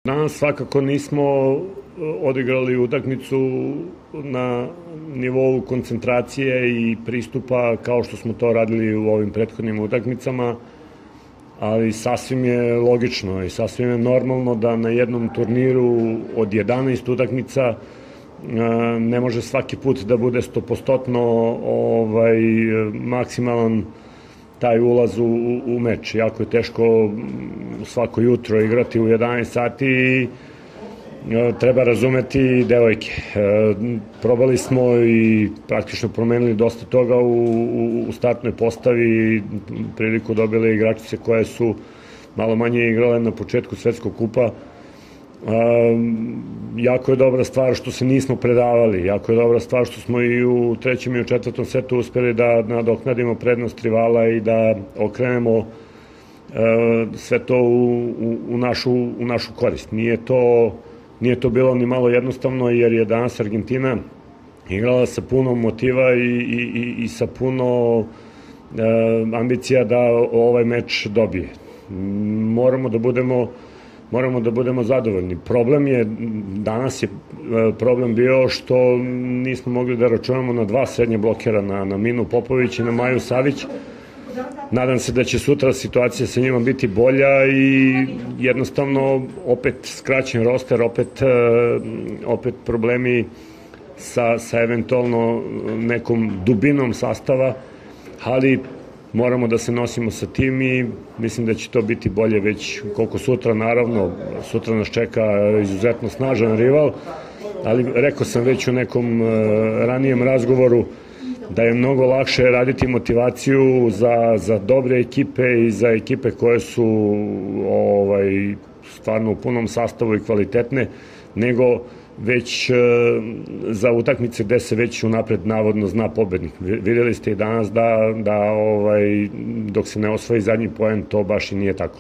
Danas svakako nismo odigrali utakmicu na nivou koncentracije i pristupa kao što smo to radili u ovim prethodnim utakmicama, ali sasvim je logično i sasvim je normalno da na jednom turniru od 11 utakmica ne može svaki put da bude 100% maksimalan taj ulaz u meč. Jako je teško svako jutro igrati u 11 sati i treba razumeti devojke. Probali smo i praktično promenili dosta toga u startnoj postavi, priliku dobile igračice koje su malo manje igrale na početku svetskog kupa. Jako je dobra stvar što se nismo predavali, jako je dobra stvar što smo i u trećem i u četvrtom setu uspeli da nadoknadimo prednost rivala i da okrenemo sve to u našu korist. Nije to bilo ni malo jednostavno, jer je danas Argentina igrala sa puno motiva i sa puno ambicija da ovaj meč dobije. Moramo da budemo zadovoljni. Danas je problem bio što nismo mogli da računamo na dva srednje blokera, na Minu Popović i na Maju Savić. Nadam se da će sutra situacija sa njima biti bolja i jednostavno opet skraćen roster, opet problemi sa eventualno nekom dubinom sastava, ali moramo da se nosimo sa tim i mislim da će to biti bolje već koliko sutra. Naravno, sutra nas čeka izuzetno snažan rival, ali rekao sam već u nekom ranijem razgovoru da je mnogo lakše raditi motivaciju za dobre ekipe i za ekipe koje su stvarno u punom sastavu i kvalitetne, nego već za utakmice gde se već unapred navodno zna pobednik. Videli ste i danas da dok se ne osvoji zadnji poen, to baš i nije tako.